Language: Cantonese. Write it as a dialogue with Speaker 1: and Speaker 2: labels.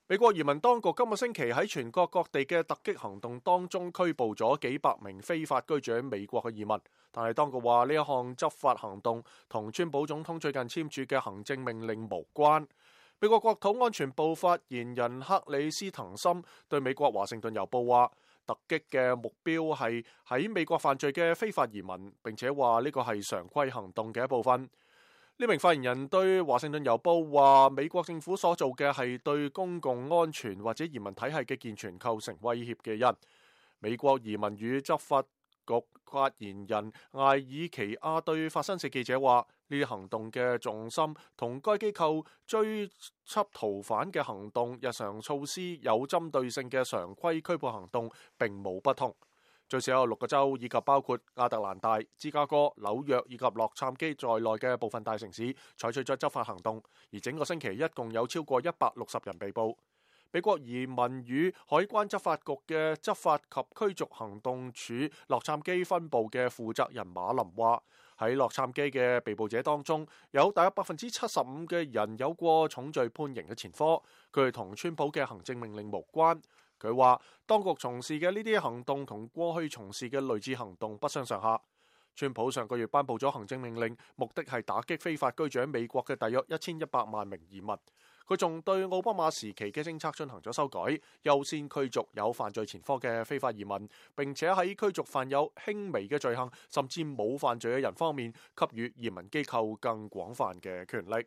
Speaker 1: 美國移民當局今個星期喺全國各地嘅突擊行動當中拘捕咗幾百名非法居住喺美國嘅移民，但係當局話呢一項執法行動同川普總統最近簽署嘅行政命令無關。美國國土安全部發言人克里斯滕森對美國華盛頓郵報話，突擊嘅目標係喺美國犯罪嘅非法移民，並且話呢個係常規行動嘅一部分。呢名發言人對華盛頓郵報話，美國政府所做嘅係對公共安全或者移民體系嘅健全構成威脅嘅人。美國移民與執法局發言人艾爾奇亞對法新社記者話，呢啲行動嘅重心同該機構追緝逃犯嘅行動、日常措施有針對性嘅常規拘捕行動並冇不同。最少有6個州以及包括亞特蘭大、芝加哥、紐約以及洛杉磯在內嘅部分大城市採取咗執法行動，而整個星期一共有超過160人被捕。美國移民與海關執法局嘅執法及驅逐行動處洛杉磯分部嘅負責人馬林話，喺洛杉磯嘅被捕者當中，有大約75%嘅人有過重罪判刑嘅前科，佢哋同川普嘅行政命令無關。佢話當局從事嘅呢啲行動同過去從事嘅類似行動不相上下。川普上個月頒布咗行政命令，目的係打擊非法居住喺美國嘅大約1100萬名移民。佢仲對奧巴馬時期嘅政策進行咗修改，優先驅逐有犯罪前科嘅非法移民，並且喺驅逐犯有輕微嘅罪行甚至冇犯罪嘅人方面，給予移民機構更廣泛嘅權力。